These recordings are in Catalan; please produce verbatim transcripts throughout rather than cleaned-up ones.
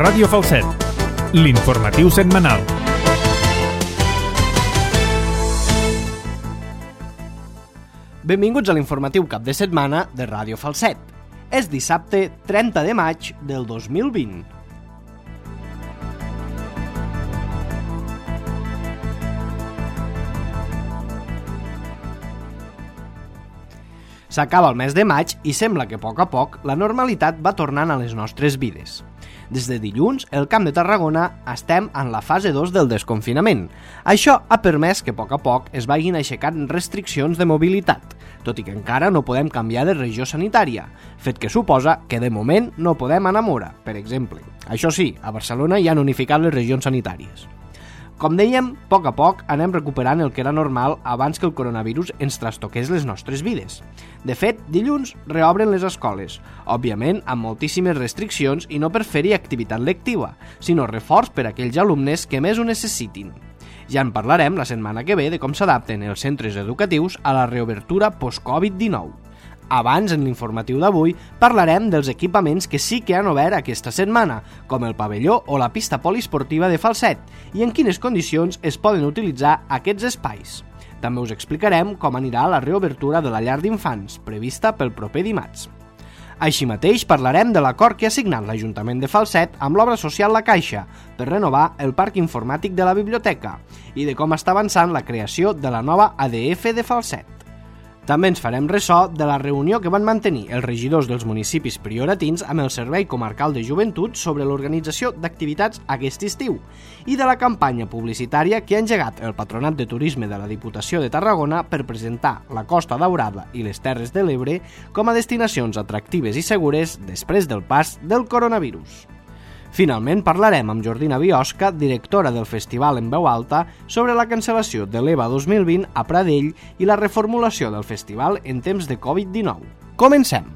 Ràdio Falset, l'informatiu setmanal. Benvinguts a l'informatiu cap de setmana de Ràdio Falset. És dissabte trenta de maig del dos mil vint. S'acaba el mes de maig i sembla que a poc a poc la normalitat va tornant a les nostres vides. Des de dilluns, el Camp de Tarragona estem en la fase dos del desconfinament. Això ha permès que a poc a poc es vagin aixecant restriccions de mobilitat, tot i que encara no podem canviar de regió sanitària, fet que suposa que de moment no podem anar a Mora, per exemple. Això sí, a Barcelona ja han unificat les regions sanitàries. Com dèiem, a poc a poc anem recuperant el que era normal abans que el coronavirus ens trastoqués les nostres vides. De fet, dilluns reobren les escoles, òbviament amb moltíssimes restriccions i no per fer-hi activitat lectiva, sinó reforç per a aquells alumnes que més ho necessitin. Ja en parlarem la setmana que ve de com s'adapten els centres educatius a la reobertura post-Covid dinou. Abans, en l'informatiu d'avui, parlarem dels equipaments que sí que han obert aquesta setmana, com el pavelló o la pista poliesportiva de Falset, i en quines condicions es poden utilitzar aquests espais. També us explicarem com anirà la reobertura de la llar d'infants, prevista pel proper dimarts. Així mateix, parlarem de l'acord que ha signat l'Ajuntament de Falset amb l'obra social La Caixa per renovar el parc informàtic de la biblioteca i de com està avançant la creació de la nova A D F de Falset. També ens farem ressò de la reunió que van mantenir els regidors dels municipis prioratins amb el Servei Comarcal de Joventut sobre l'organització d'activitats aquest estiu i de la campanya publicitària que ha engegat el Patronat de Turisme de la Diputació de Tarragona per presentar la Costa Daurada i les Terres de l'Ebre com a destinacions atractives i segures després del pas del coronavirus. Finalment parlarem amb Jordina Biosca, directora del Festival en Veu Alta, sobre la cancel·lació de l'E V A dos mil vint a Pradell i la reformulació del festival en temps de Covid dinou. Comencem!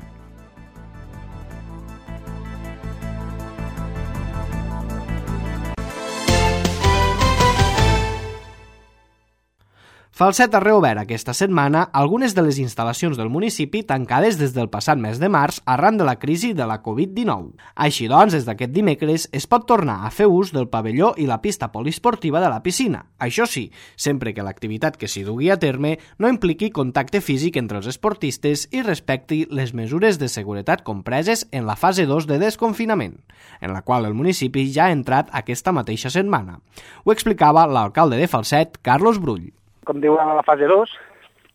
Falset ha reobert aquesta setmana algunes de les instal·lacions del municipi tancades des del passat mes de març arran de la crisi de la Covid dinou. Així doncs, des d'aquest dimecres es pot tornar a fer ús del pavelló i la pista poliesportiva de la piscina. Això sí, sempre que l'activitat que s'hi dugui a terme no impliqui contacte físic entre els esportistes i respecti les mesures de seguretat compreses en la fase dos de desconfinament, en la qual el municipi ja ha entrat aquesta mateixa setmana. Ho explicava l'alcalde de Falset, Carlos Brull. Com diuen a la fase dos,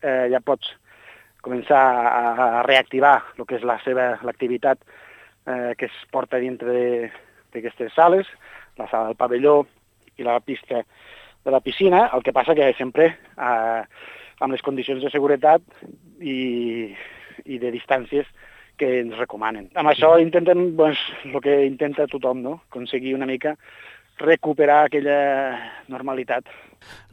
eh, ja pots començar a, a reactivar el que és la seva l'activitat eh, que es porta dintre d'aquestes sales, la sala del pavelló i la pista de la piscina, el que passa que sempre eh, amb les condicions de seguretat i, i de distàncies que ens recomanen. Amb això intenten, doncs, el que intenta tothom, no? Aconseguir una mica recuperar aquella normalitat.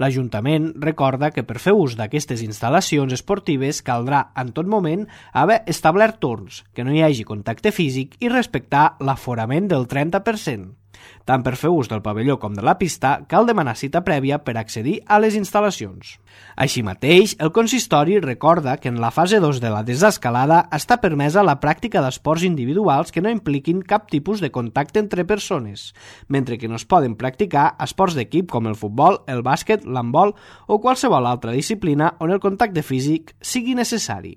L'Ajuntament recorda que per fer ús d'aquestes instal·lacions esportives caldrà en tot moment haver establert torns, que no hi hagi contacte físic i respectar l'aforament del trenta per cent. Tant per fer ús del pavelló com de la pista cal demanar cita prèvia per accedir a les instal·lacions. Així mateix, el consistori recorda que en la fase dos de la desescalada està permesa la pràctica d'esports individuals que no impliquin cap tipus de contacte entre persones, mentre que no es poden practicar esports d'equip com el futbol, el bàsquet, l'handbol o qualsevol altra disciplina on el contacte físic sigui necessari.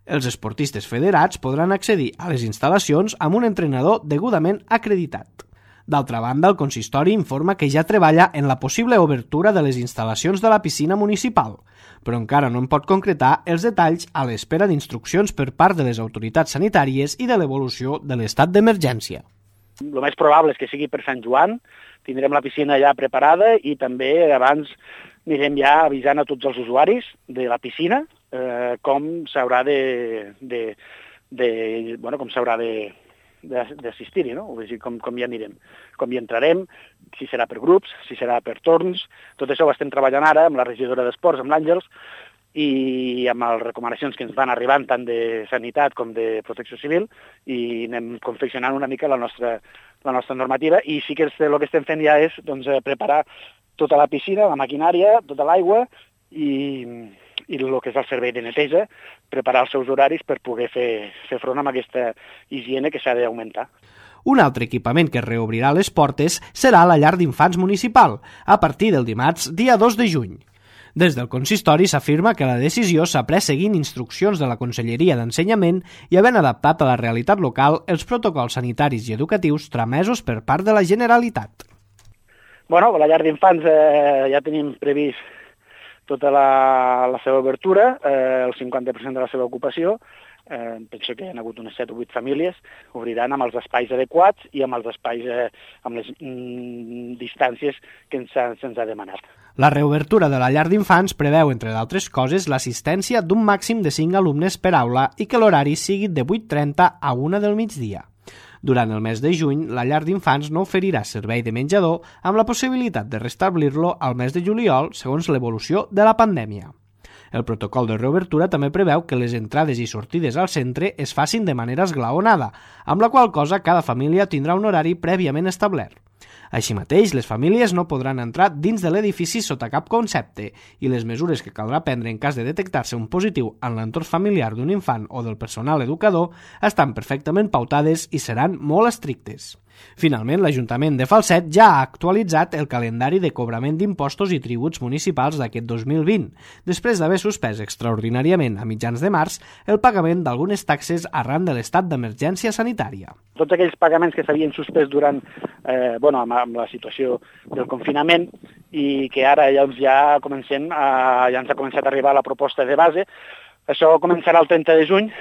Els esportistes federats podran accedir a les instal·lacions amb un entrenador degudament acreditat. D'altra banda, el consistori informa que ja treballa en la possible obertura de les instal·lacions de la piscina municipal, però encara no en pot concretar els detalls a l'espera d'instruccions per part de les autoritats sanitàries i de l'evolució de l'estat d'emergència. El més probable és que sigui per Sant Joan, tindrem la piscina ja preparada i també abans anirem ja avisant a tots els usuaris de la piscina eh, com s'haurà de, de, de, bueno, com s'haurà de d'assistir-hi, no? O sigui, com, com hi anirem, com hi entrarem, si serà per grups, si serà per torns. Tot això ho estem treballant ara amb la regidora d'Esports, amb l'Àngels, i amb les recomanacions que ens van arribant tant de sanitat com de protecció civil, i anem confeccionant una mica la nostra, la nostra normativa, i sí que el que estem fent ja és doncs, preparar tota la piscina, la maquinària, tota l'aigua, i, i el que és el servei de neteja, preparar els seus horaris per poder fer, fer front amb aquesta higiene que s'ha d'augmentar. Un altre equipament que reobrirà les portes serà la llar d'infants municipal, a partir del dimarts, dia dos de juny. Des del consistori s'afirma que la decisió s'ha pres seguint instruccions de la Conselleria d'Ensenyament i havent adaptat a la realitat local els protocols sanitaris i educatius tramesos per part de la Generalitat. Bueno, la llar d'infants eh, ja tenim previst tota la, la seva obertura, eh, el cinquanta per cent de la seva ocupació. Eh, penso que hi ha hagut unes set o vuit famílies, obriran amb els espais adequats i amb els espais, eh, amb les mm, distàncies que ens ha, se'ns ha demanat. La reobertura de la llar d'infants preveu, entre d'altres coses, l'assistència d'un màxim de cinc alumnes per aula i que l'horari sigui de vuit trenta a una del migdia. Durant el mes de juny, la llar d'infants no oferirà servei de menjador amb la possibilitat de restablir-lo al mes de juliol segons l'evolució de la pandèmia. El protocol de reobertura també preveu que les entrades i sortides al centre es facin de manera esglaonada, amb la qual cosa cada família tindrà un horari prèviament establert. Així mateix, les famílies no podran entrar dins de l'edifici sota cap concepte i les mesures que caldrà prendre en cas de detectar-se un positiu en l'entorn familiar d'un infant o del personal educador estan perfectament pautades i seran molt estrictes. Finalment, l'Ajuntament de Falset ja ha actualitzat el calendari de cobrament d'impostos i tributs municipals d'aquest dos mil vint, després d'haver suspès extraordinàriament a mitjans de març el pagament d'algunes taxes arran de l'estat d'emergència sanitària. Tots aquells pagaments que s'havien suspès durant, eh, bueno, amb, amb la situació del confinament i que ara ja, ja, comencem a, ja ens ha començat a arribar la proposta de base, això començarà el trenta de juny,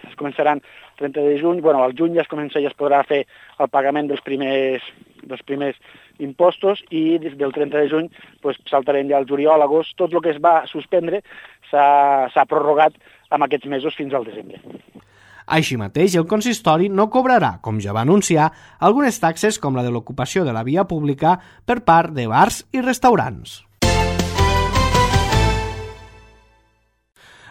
es començaran trenta de juny, bueno, al juny ja es comença, ja es podrà fer el pagament dels primers, dels primers impostos i des del trenta de juny pues, saltarem ja al juliol, agost, tot el que es va suspendre s'ha prorrogat amb aquests mesos fins al desembre. Així mateix, el consistori no cobrarà, com ja va anunciar, algunes taxes com la de l'ocupació de la via pública per part de bars i restaurants.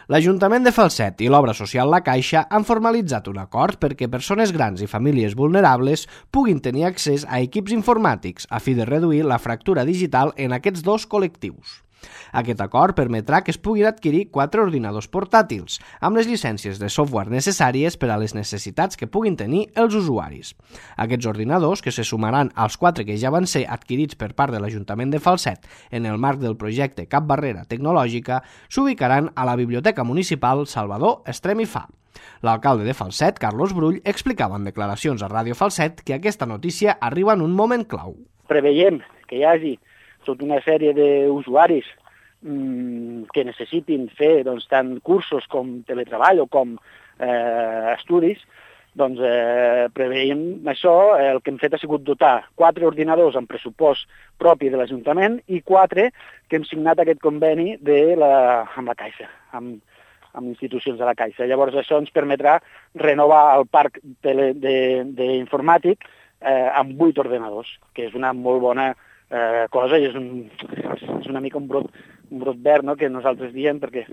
L'Ajuntament de Falset i l'Obra Social La Caixa han formalitzat un acord perquè persones grans i famílies vulnerables puguin tenir accés a equips informàtics a fi de reduir la fractura digital en aquests dos col·lectius. Aquest acord permetrà que es puguin adquirir quatre ordinadors portàtils, amb les llicències de software necessàries per a les necessitats que puguin tenir els usuaris. Aquests ordinadors, que se sumaran als quatre que ja van ser adquirits per part de l'Ajuntament de Falset en el marc del projecte Cap Barrera Tecnològica, s'ubicaran a la Biblioteca Municipal Salvador Estrem i Fa. L'alcalde de Falset, Carlos Brull, explicava en declaracions a Ràdio Falset que aquesta notícia arriba en un moment clau. Preveiem que hi hagi tota una sèrie d'usuaris mmm, que necessitin fer doncs, tant cursos com teletreball o com eh, estudis, doncs eh, preveiem això. El que hem fet ha sigut dotar quatre ordinadors amb pressupost propi de l'Ajuntament i quatre que hem signat aquest conveni de la, amb la Caixa, amb, amb institucions de la Caixa. Llavors això ens permetrà renovar el parc d'informàtic eh, amb vuit ordenadors, que és una molt bona Eh, cosa i és, un, és una mica un brot, un brot verd, no?, que nosaltres diem perquè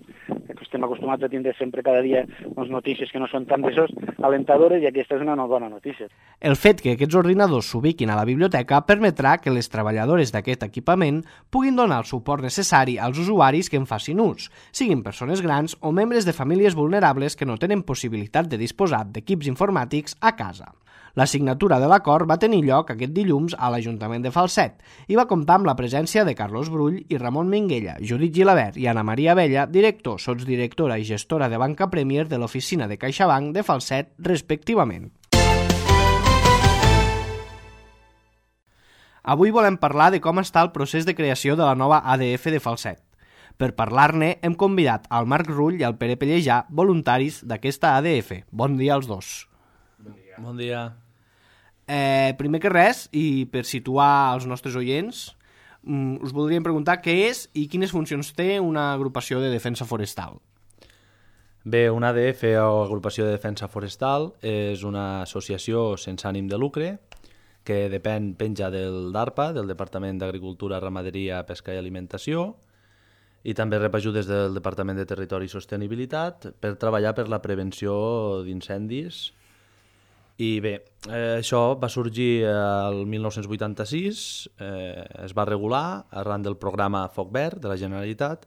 estem acostumats a tindre sempre cada dia doncs, notícies que no són tan d'això alentadores i aquesta és una bona notícia. El fet que aquests ordinadors s'ubiquin a la biblioteca permetrà que les treballadores d'aquest equipament puguin donar el suport necessari als usuaris que en facin ús, siguin persones grans o membres de famílies vulnerables que no tenen possibilitat de disposar d'equips informàtics a casa. La signatura de l'acord va tenir lloc aquest dilluns a l'Ajuntament de Falset i va comptar amb la presència de Carlos Brull i Ramon Minguella, Judit Gilabert i Ana Maria Abella, director, sotsdirectora i gestora de Banca Premier de l'oficina de CaixaBank de Falset, respectivament. Avui volem parlar de com està el procés de creació de la nova A D F de Falset. Per parlar-ne hem convidat al Marc Rull i al Pere Pellejà, voluntaris d'aquesta A D F. Bon dia als dos. Bon dia. Bon dia. Eh, primer que res, i per situar els nostres oients, mm, us voldríem preguntar què és i quines funcions té una agrupació de defensa forestal. Bé, una A D F o agrupació de defensa forestal és una associació sense ànim de lucre que depèn, penja del DARPA, del Departament d'Agricultura, Ramaderia, Pesca i Alimentació, i també rep ajudes del Departament de Territori i Sostenibilitat per treballar per la prevenció d'incendis. I bé, eh, això va sorgir el mil nou-cents vuitanta-sis, eh, es va regular arran del programa Foc Verd de la Generalitat,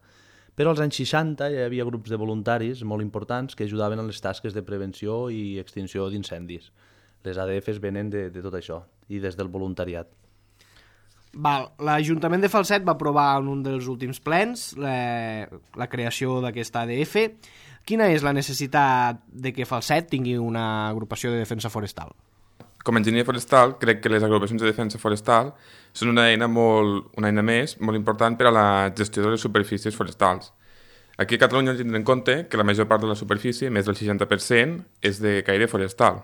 però als anys seixanta hi havia grups de voluntaris molt importants que ajudaven en les tasques de prevenció i extinció d'incendis. les A D Fs venen de, de tot això i des del voluntariat. Val, l'Ajuntament de Falset va aprovar en un dels últims plens la, la creació d'aquesta A D F. Quina és la necessitat de que Falset tingui una agrupació de defensa forestal? Com a enginyer forestal, crec que les agrupacions de defensa forestal són una eina, molt, una eina més molt important per a la gestió de les superfícies forestals. Aquí a Catalunya hem de tenir en compte que la major part de la superfície, més del seixanta per cent, és de caire forestal.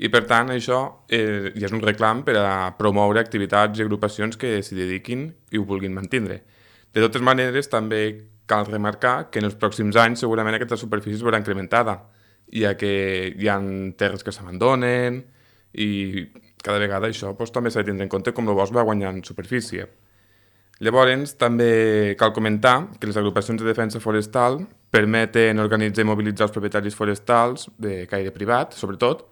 I per tant això eh, ja és un reclam per a promoure activitats i agrupacions que s'hi dediquin i ho vulguin mantenir. De totes maneres, també cal remarcar que en els pròxims anys segurament aquesta superfície es veurà incrementada, ja que hi ha terres que s'abandonen, i cada vegada això doncs, també s'ha de tindre en compte com el bosc va guanyant superfície. Llavors, també cal comentar que les agrupacions de defensa forestal permeten organitzar i mobilitzar els propietaris forestals de caire privat, sobretot,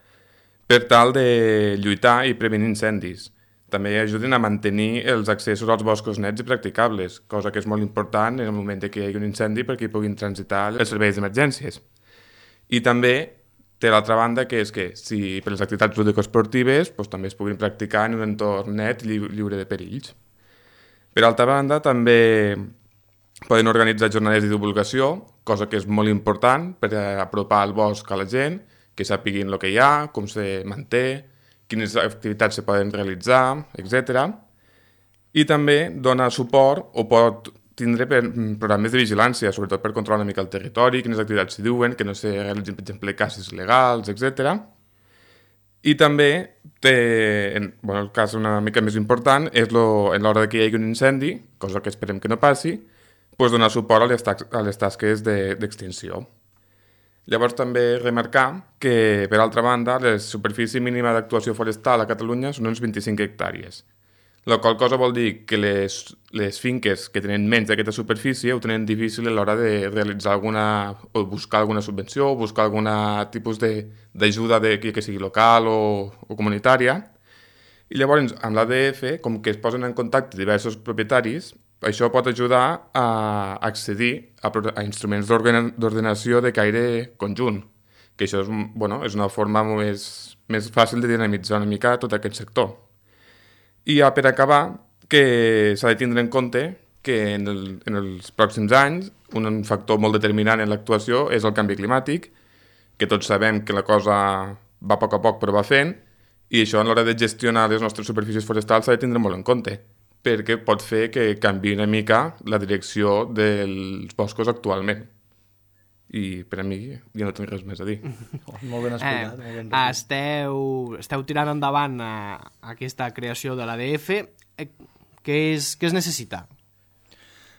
per tal de lluitar i prevenir incendis. També ajuden a mantenir els accessos als boscos nets i practicables, cosa que és molt important en el moment que hi hagi un incendi perquè hi puguin transitar els serveis d'emergències. I també té l'altra banda, que és que si per les activitats lúdico-esportives doncs, també es puguin practicar en un entorn net i lliure de perills. Per altra banda, també poden organitzar jornades de divulgació, cosa que és molt important per apropar el bosc a la gent, que sàpiguin el que hi ha, com se manté, quines activitats se poden realitzar, etcètera. I també dona suport o pot tindre per, programes de vigilància, sobretot per controlar una mica el territori, quines activitats s'hi diuen, que no se realitzin, per exemple, caces legals, etcètera. I també té, en, bueno, el cas una mica més important, és lo, en l'hora que hi hagi un incendi, cosa que esperem que no passi, doncs donar suport a les, tax, a les tasques d'extinció. De, Llavors també remarcar que, per altra banda, la superfície mínima d'actuació forestal a Catalunya són uns vint-i-cinc hectàrees. La qual cosa vol dir que les, les finques que tenen menys d'aquesta superfície ho tenen difícil a l'hora de realitzar alguna, o buscar alguna subvenció, o buscar algun tipus d'ajuda que, que sigui local o, o comunitària. I llavors, amb l'A D F, com que es posen en contacte diversos propietaris, això pot ajudar a accedir a, a instruments d'ordenació de caire conjunt, que això és, bueno, és una forma més, més fàcil de dinamitzar una mica tot aquest sector. I ja per acabar, que s'ha de tindre en compte que en, el, en els pròxims anys un factor molt determinant en l'actuació és el canvi climàtic, que tots sabem que la cosa va a poc a poc però va fent, i això a l'hora de gestionar les nostres superfícies forestals s'ha de tindre molt en compte, perquè pot fer que canviï una mica la direcció dels boscos actualment. I per a mi ja no tinc res més a dir. Molt ben explicat. Eh, molt ben esteu, esteu tirant endavant a, a aquesta creació de l'A D F. Eh, què, és, què es necessita?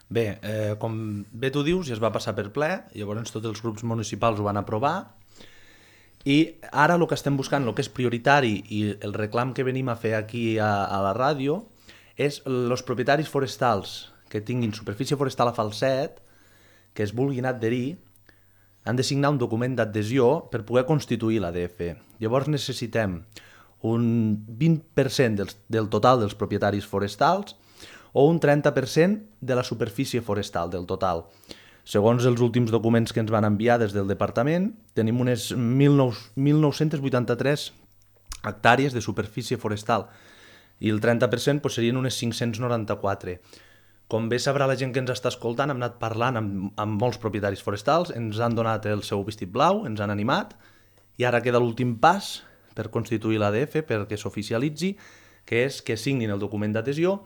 Bé, eh, com bé tu dius, ja es va passar per ple, llavors tots els grups municipals ho van aprovar, i ara el que estem buscant, el que és prioritari i el reclam que venim a fer aquí a, a la ràdio, és els propietaris forestals que tinguin superfície forestal a Falset, que es vulguin adherir, han de signar un document d'adhesió per poder constituir l'A D F. Llavors necessitem un vint per cent del, del total dels propietaris forestals o un trenta per cent de la superfície forestal del total. Segons els últims documents que ens van enviar des del departament, tenim unes mil nou-cents vuitanta-tres hectàrees de superfície forestal i el trenta per cent doncs, serien unes cinc-cents noranta-quatre. Com bé sabrà la gent que ens està escoltant, hem anat parlant amb, amb molts propietaris forestals, ens han donat el seu vestit blau, ens han animat, i ara queda l'últim pas per constituir l'A D F, perquè s'oficialitzi, que és que signin el document d'adhesió,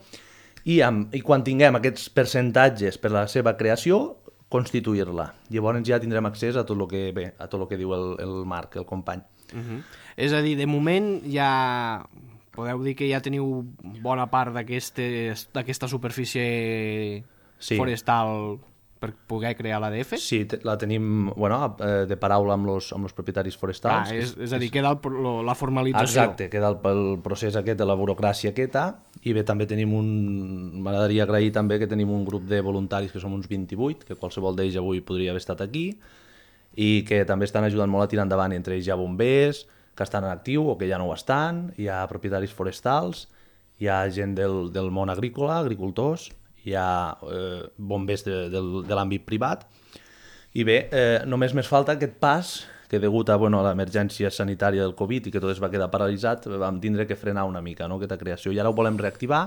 i, amb, i quan tinguem aquests percentatges per a la seva creació, constituir-la. Llavors ja tindrem accés a tot el que, bé, a tot el que diu el, el Marc, el company. Uh-huh. És a dir, de moment ja... Podeu dir que ja teniu bona part d'aquesta superfície sí. forestal per poder crear l'A D F? Sí, la tenim bueno, de paraula amb els amb los propietaris forestals. Ah, és, és a dir, queda el, la formalització. Exacte, queda el, el procés aquest de la burocràcia aquesta, i bé, també tenim un... M'agradaria agrair també que tenim un grup de voluntaris que som uns vint-i-vuit, que qualsevol d'ells avui podria haver estat aquí, i que també estan ajudant molt a tirar endavant, entre ells hi ha bombers, que estan en actiu o que ja no ho estan, hi ha propietaris forestals, hi ha gent del, del món agrícola, agricultors, hi ha eh, bombers de, de, de l'àmbit privat, i bé, eh, només més falta aquest pas que degut a, bueno, a l'emergència sanitària del Covid i que tot es va quedar paralitzat, vam tindre que frenar una mica, no?, aquesta creació. I ara ho volem reactivar,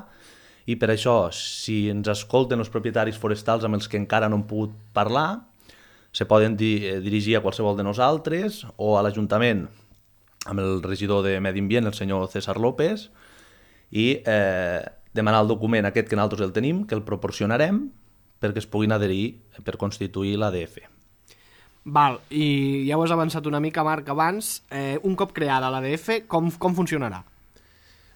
i per això, si ens escolten els propietaris forestals amb els que encara no hem pogut parlar, se poden di dirigir a qualsevol de nosaltres o a l'Ajuntament amb el regidor de Medi Ambient, el senyor César López, i eh, demanar el document aquest que nosaltres el tenim, que el proporcionarem perquè es puguin adherir per constituir l'A D F. Val, i ja ho has avançat una mica, Marc, abans. Eh, un cop creada l'A D F, com, com funcionarà?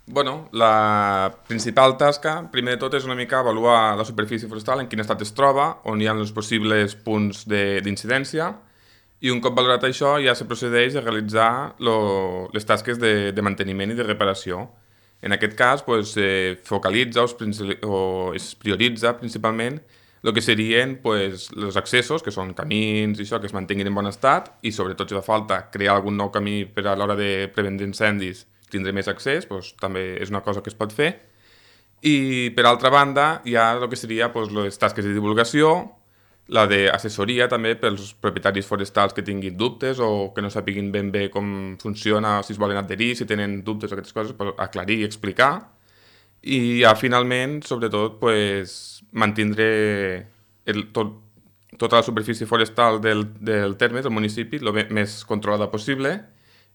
Bueno, la principal tasca, primer de tot, és una mica avaluar la superfície forestal, en quin estat es troba, on hi ha els possibles punts d'incidència, i un cop valorat això ja se procedeix a realitzar lo, les tasques de, de manteniment i de reparació. En aquest cas, pues, se focalitza o es prioritza principalment el que serien pues, els accessos, que són camins i això, que es mantinguin en bon estat, i sobretot si fa falta crear algun nou camí per a l'hora de prevenir incendis, tindre més accés, pues, també és una cosa que es pot fer. I per altra banda hi ha el que seria pues, les tasques de divulgació, la d'assessoria també pels propietaris forestals que tinguin dubtes o que no sapiguin ben bé com funciona, si es volen adherir, si tenen dubtes o aquestes coses, pues, aclarir i explicar. I ja finalment, sobretot, pues, mantindre el, tot, tota la superfície forestal del, del terme, del municipi, el més controlada possible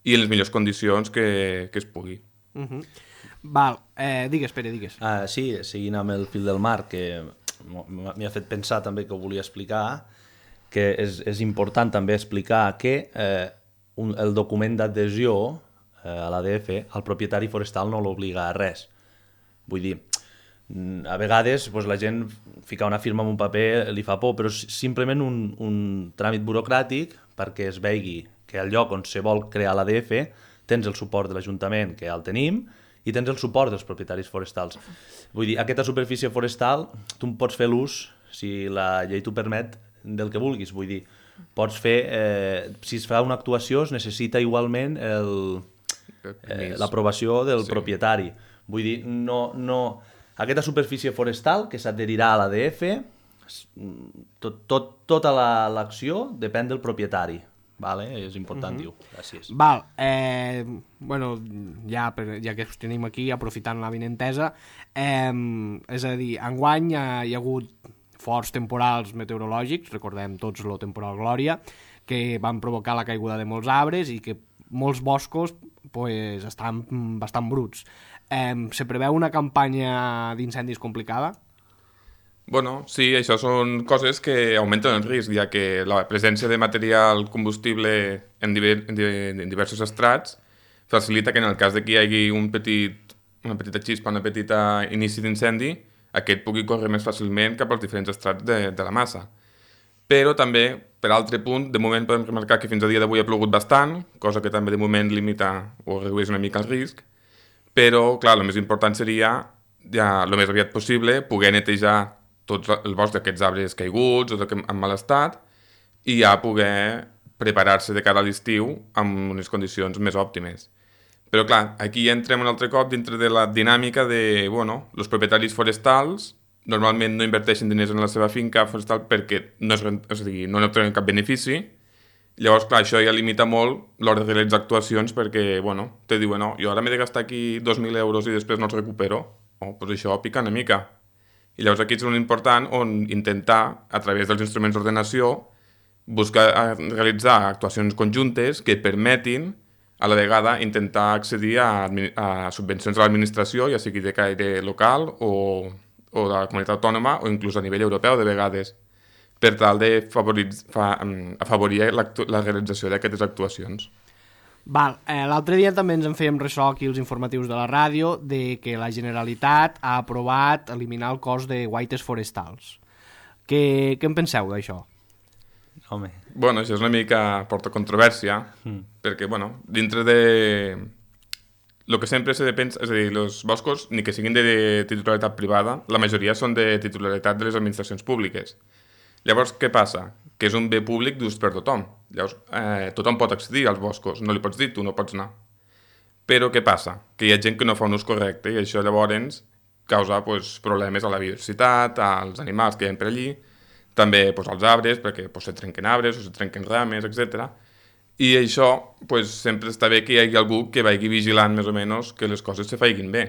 i en les millors condicions que, que es pugui. Uh -huh. Val, eh, digues, Pere, digues. Ah, sí, seguint amb el fil del mar, que m'hi ha fet pensar també que ho volia explicar, que és, és important també explicar que eh, un, el document d'adhesió eh, a l'A D F, el propietari forestal no l'obliga a res. Vull dir, a vegades pues, la gent ficar una firma en un paper li fa por, però és simplement un, un tràmit burocràtic perquè es vegi que al lloc on se vol crear l'A D F tens el suport de l'Ajuntament, que ja el tenim, i tens el suport dels propietaris forestals. Vull dir, aquesta superfície forestal tu en pots fer l'ús, si la llei t'ho permet, del que vulguis. Vull dir, pots fer, eh, si es fa una actuació es necessita igualment eh, l'aprovació del sí. propietari. Vull dir, no, no... aquesta superfície forestal que s'adherirà a l'A D F, tot, tot, tota l'acció la, depèn del propietari. Vale? És important, uh-huh. dir-ho. Gràcies. Val, eh, bueno, ja, per, ja que us tenim aquí, aprofitant la vinentesa, eh, és a dir, enguany hi, hi ha hagut forts temporals meteorològics, recordem tots el temporal Glòria, que van provocar la caiguda de molts arbres i que molts boscos pues, estan bastant bruts. Eh, se preveu una campanya d'incendis complicada? Bueno, sí, això són coses que augmenten el risc, ja que la presència de material combustible en, diver, en diversos estrats facilita que en el cas de que hi hagi un petit, una petita xispa, una petita inici d'incendi, aquest pugui córrer més fàcilment cap als diferents estrats de, de la massa. Però també, per altre punt, de moment podem remarcar que fins a dia d'avui ha plogut bastant, cosa que també de moment limita o redueix una mica el risc, però, clar, el més important seria, ja, el més aviat possible, poder netejar tot el bosc d'aquests arbres caiguts o en mal estat i ja poder preparar-se de cara a l'estiu amb unes condicions més òptimes. Però clar, aquí entrem un altre cop dintre de la dinàmica de, bueno, els propietaris forestals normalment no inverteixen diners en la seva finca forestal perquè no, és, és a dir, no n'obtenen cap benefici. Llavors, clar, això ja limita molt l'hora de realitzar actuacions perquè, bueno, te diuen, no, jo ara m'he de gastar aquí dos mil euros i després no els recupero. Oh, doncs això pica una mica. I llavors aquí és un important on intentar, a través dels instruments d'ordenació, buscar realitzar actuacions conjuntes que permetin a la vegada intentar accedir a, a subvencions de l'administració, ja sigui de caire local o, o de la comunitat autònoma o inclús a nivell europeu de vegades, per tal de fa, afavorir la, la realització d'aquestes actuacions. Val, eh, l'altre dia també ens en fèiem ressò aquí els informatius de la ràdio de que la Generalitat ha aprovat eliminar el cost de guaites forestals. Què, què en penseu d'això? Home. Bueno, això és una mica porta controvèrsia, mm. perquè, bueno, dintre de... El que sempre s'ha de pensar, és a dir, els boscos, ni que siguin de titularitat privada, la majoria són de titularitat de les administracions públiques. Llavors, què passa? Que és un bé públic d'ús per tothom. Llavors, eh, tothom pot accedir als boscos, no li pots dir, tu no pots anar. Però què passa? Que hi ha gent que no fa un ús correcte i això llavors causa pues, problemes a la biodiversitat, als animals que hi ha per allí, també pues, als arbres, perquè pues, se trenquen arbres o se trenquen rames, etcètera. I això, pues, sempre està bé que hi hagi algú que vagi vigilant més o menys que les coses se facin bé.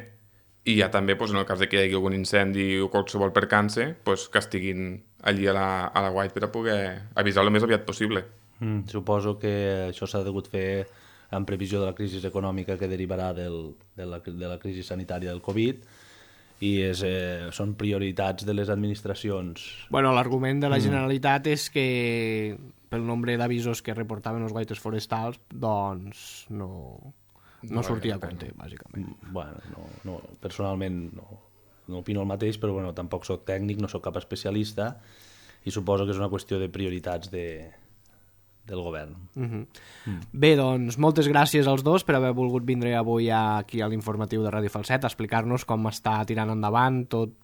I ja també, pues, en el cas de que hi hagi algun incendi o qualsevol percance, pues, que estiguin allí a la, a la guait per a poder avisar el més aviat possible. Mm, suposo que això s'ha degut fer en previsió de la crisi econòmica que derivarà del, de, la, de la crisi sanitària del Covid, i és, eh, són prioritats de les administracions. Bueno, l'argument de la Generalitat mm. és que pel nombre d'avisos que reportaven els guaites forestals, doncs no, no, no sortia a compte, bàsicament. Bueno, no, no, personalment no, no opino el mateix, però bueno, tampoc soc tècnic, no soc cap especialista, i suposo que és una qüestió de prioritats de, del govern. Uh-huh. mm. Bé, doncs, moltes gràcies als dos per haver volgut vindre avui aquí a l'informatiu de Ràdio Falset a explicar-nos com està tirant endavant tot,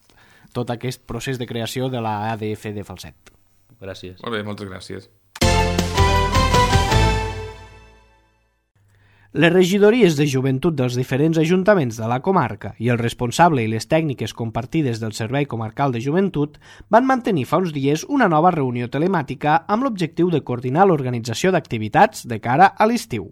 tot aquest procés de creació de la A D F de Falset. Gràcies. Molt bé, moltes gràcies. Les regidories de joventut dels diferents ajuntaments de la comarca i el responsable i les tècniques compartides del Servei Comarcal de Joventut van mantenir fa uns dies una nova reunió telemàtica amb l'objectiu de coordinar l'organització d'activitats de cara a l'estiu.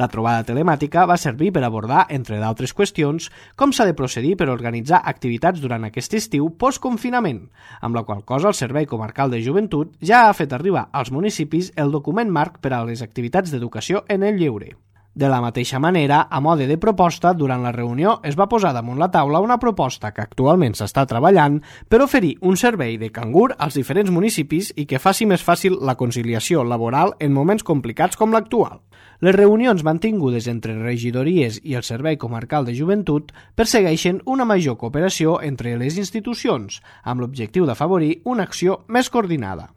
La trobada telemàtica va servir per abordar, entre d'altres qüestions, com s'ha de procedir per organitzar activitats durant aquest estiu post-confinament, amb la qual cosa el Servei Comarcal de Joventut ja ha fet arribar als municipis el document marc per a les activitats d'educació en el lleure. De la mateixa manera, a mode de proposta, durant la reunió es va posar damunt la taula una proposta que actualment s'està treballant per oferir un servei de cangur als diferents municipis i que faci més fàcil la conciliació laboral en moments complicats com l'actual. Les reunions mantingudes entre regidories i el Servei Comarcal de Joventut persegueixen una major cooperació entre les institucions, amb l'objectiu d'afavorir una acció més coordinada.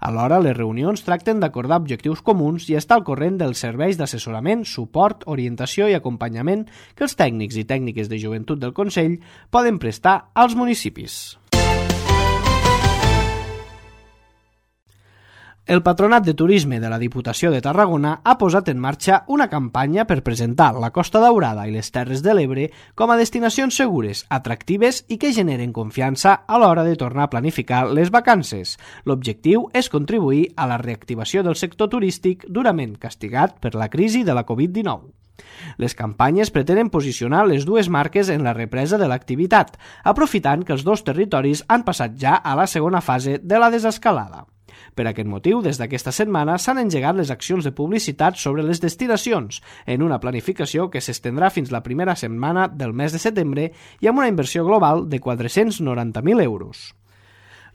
Alhora, les reunions tracten d'acordar objectius comuns i estar al corrent dels serveis d'assessorament, suport, orientació i acompanyament que els tècnics i tècniques de joventut del Consell poden prestar als municipis. El Patronat de Turisme de la Diputació de Tarragona ha posat en marxa una campanya per presentar la Costa Daurada i les Terres de l'Ebre com a destinacions segures, atractives i que generen confiança a l'hora de tornar a planificar les vacances. L'objectiu és contribuir a la reactivació del sector turístic durament castigat per la crisi de la covid dinou. Les campanyes pretenen posicionar les dues marques en la represa de l'activitat, aprofitant que els dos territoris han passat ja a la segona fase de la desescalada. Per aquest motiu, des d'aquesta setmana s'han engegat les accions de publicitat sobre les destinacions, en una planificació que s'estendrà fins la primera setmana del mes de setembre i amb una inversió global de quatre-cents noranta mil euros.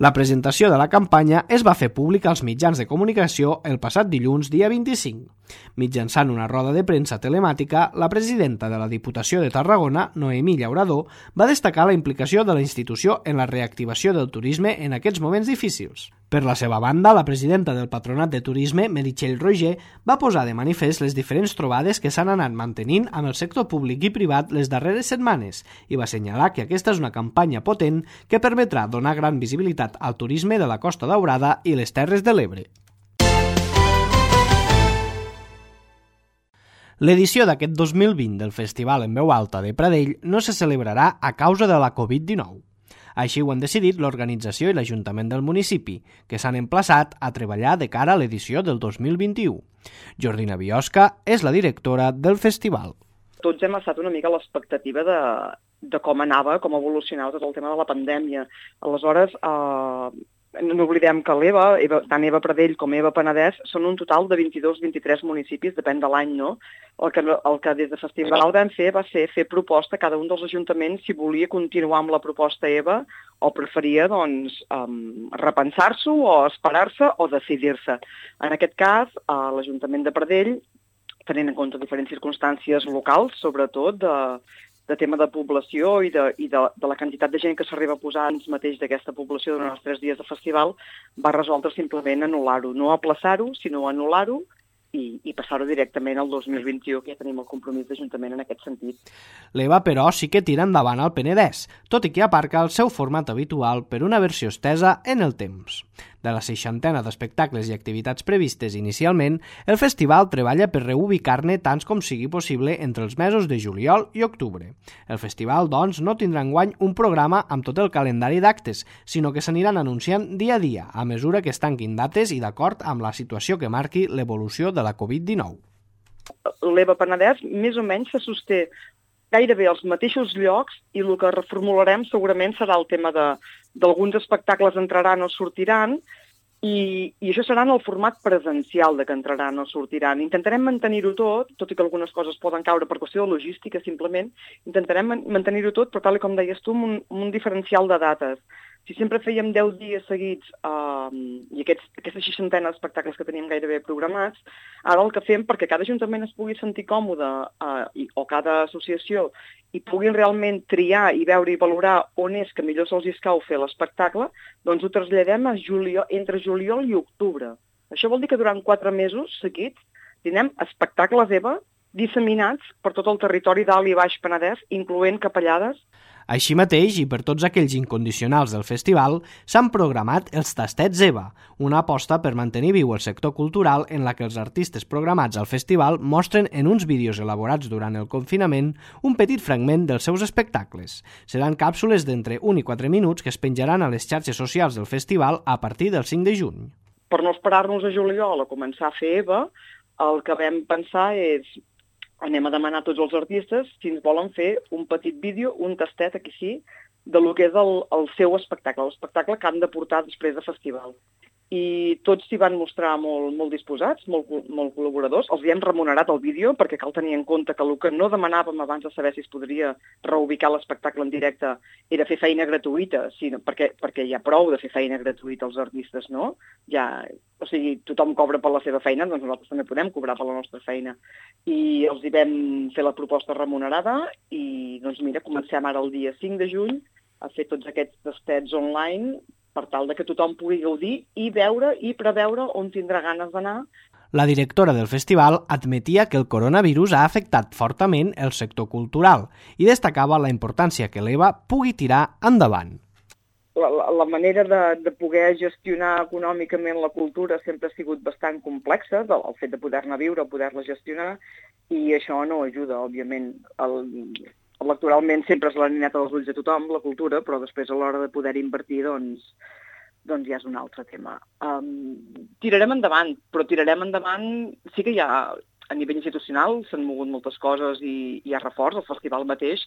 La presentació de la campanya es va fer pública als mitjans de comunicació el passat dilluns, dia vint-i-cinc. Mitjançant una roda de premsa telemàtica, la presidenta de la Diputació de Tarragona, Noemí Llaurador, va destacar la implicació de la institució en la reactivació del turisme en aquests moments difícils. Per la seva banda, la presidenta del Patronat de Turisme, Meritxell Roger, va posar de manifest les diferents trobades que s'han anat mantenint amb el sector públic i privat les darreres setmanes i va assenyalar que aquesta és una campanya potent que permetrà donar gran visibilitat al turisme de la Costa Daurada i les Terres de l'Ebre. L'edició d'aquest dos mil vint del Festival en Veu Alta de Pradell no se celebrarà a causa de la covid dinou. Així ho han decidit l'organització i l'Ajuntament del municipi, que s'han emplaçat a treballar de cara a l'edició del dos mil vint-i-u. Jordina Biosca és la directora del festival. Tots hem estat una mica a l'expectativa de, de com anava, com evolucionava tot el tema de la pandèmia. Aleshores, eh, no oblidem que l'Eva, Eva, tant Eva Pradell com Eva Penedès, són un total de vint-i-dos vint-i-tres municipis, depèn de l'any, no? El que, el que des de Festival vam fer va ser fer proposta a cada un dels ajuntaments si volia continuar amb la proposta Eva o preferia, doncs, um, repensar-s'ho o esperar-se o decidir-se. En aquest cas, uh, l'Ajuntament de Pradell, tenint en compte diferents circumstàncies locals, sobretot de, de tema de població i, de, i de, de la quantitat de gent que s'arriba a posar ens mateix d'aquesta població durant els tres dies de festival, va resoldre simplement anul·lar-ho. No aplaçar-ho, sinó anul·lar-ho i, i passar-ho directament al dos mil vint-i-u, que ja tenim el compromís d'Ajuntament en aquest sentit. L'Eva, però, sí que tira endavant al Penedès, tot i que aparca el seu format habitual per una versió estesa en el temps. De la seixantena d'espectacles i activitats previstes inicialment, el festival treballa per reubicar-ne tants com sigui possible entre els mesos de juliol i octubre. El festival, doncs, no tindrà enguany un programa amb tot el calendari d'actes, sinó que s'aniran anunciant dia a dia, a mesura que es tanquin dates i d'acord amb la situació que marqui l'evolució de la covid dinou. L'E V A Penedès més o menys se sosté gairebé als mateixos llocs i el que reformularem segurament serà el tema de d'alguns espectacles entraran o sortiran i, i això serà en el format presencial de que entraran o sortiran. Intentarem mantenir-ho tot, tot i que algunes coses poden caure per qüestió de logística simplement, intentarem mantenir-ho tot, però tal com deies tu, amb un, amb un diferencial de dates. Si sempre fèiem deu dies seguits eh, i aquests, aquestes seixantena d'espectacles que teníem gairebé programats, ara el que fem perquè cada ajuntament es pugui sentir còmode eh, i, o cada associació i puguin realment triar i veure i valorar on és que millor se'ls escau fer l'espectacle, doncs ho traslladem a juliol, entre juliol i octubre. Això vol dir que durant quatre mesos seguits tindrem espectacles E V A disseminats per tot el territori d'Alt i Baix Penedès, incloent Capellades. Així mateix, i per tots aquells incondicionals del festival, s'han programat els Tastets E V A, una aposta per mantenir viu el sector cultural en la que els artistes programats al festival mostren en uns vídeos elaborats durant el confinament un petit fragment dels seus espectacles. Seran càpsules d'entre un i quatre minuts que es penjaran a les xarxes socials del festival a partir del cinc de juny. Per no esperar-nos a juliol a començar a fer E V A, el que vam pensar és anem a demanar a tots els artistes si ens volen fer un petit vídeo, un tastet, aquí sí, de lo que és el, el seu espectacle, l'espectacle que han de portar després de festival. I tots s'hi van mostrar molt, molt disposats, molt, molt col·laboradors. Els hi hem remunerat el vídeo perquè cal tenir en compte que el que no demanàvem abans de saber si es podria reubicar l'espectacle en directe era fer feina gratuïta, sinó perquè, perquè hi ha prou de fer feina gratuïta als artistes, no? Ja, o sigui, tothom cobra per la seva feina, doncs nosaltres també podem cobrar per la nostra feina. I els hi vam fer la proposta remunerada i, doncs mira, comencem ara el dia cinc de juny a fer tots aquests tastets online per tal de que tothom pugui gaudir i veure i preveure on tindrà ganes d'anar. La directora del festival admetia que el coronavirus ha afectat fortament el sector cultural i destacava la importància que l'E V A pugui tirar endavant. La, la, la manera de, de poder gestionar econòmicament la cultura sempre ha sigut bastant complexa, el, el fet de poder-ne viure, poder-la gestionar, i això no ajuda, òbviament. El, electoralment sempre és la nineta dels ulls de tothom, la cultura, però després a l'hora de poder invertir, doncs, doncs ja és un altre tema. Um, tirarem endavant, però tirarem endavant, sí que hi ha, a nivell institucional s'han mogut moltes coses i hi ha reforç, el festival mateix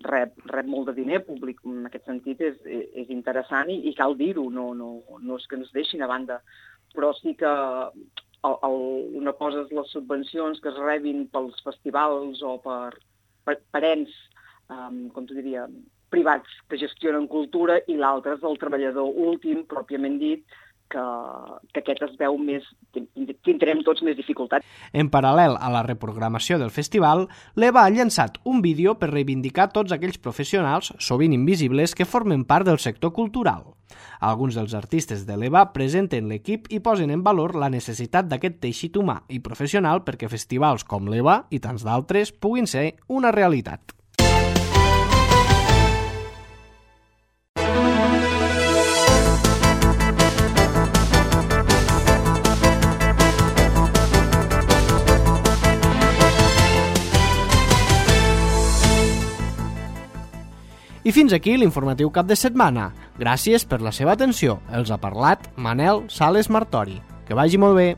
rep, rep molt de diner públic, en aquest sentit és, és interessant i, i cal dir-ho, no, no, no és que ens deixin a banda, però sí que el, el, una cosa és les subvencions que es rebin pels festivals o per, per, per ens, Um, com t'ho diria, privats que gestionen cultura i l'altre és el treballador últim, pròpiament dit, que, que aquest es veu més, tindrem tots més dificultats. En paral·lel a la reprogramació del festival, l'E V A ha llançat un vídeo per reivindicar tots aquells professionals, sovint invisibles, que formen part del sector cultural. Alguns dels artistes de l'E V A presenten l'equip i posen en valor la necessitat d'aquest teixit humà i professional perquè festivals com l'E V A i tants d'altres puguin ser una realitat. I fins aquí l'informatiu cap de setmana. Gràcies per la seva atenció. Els ha parlat Manel Sales Martori. Que vagi molt bé.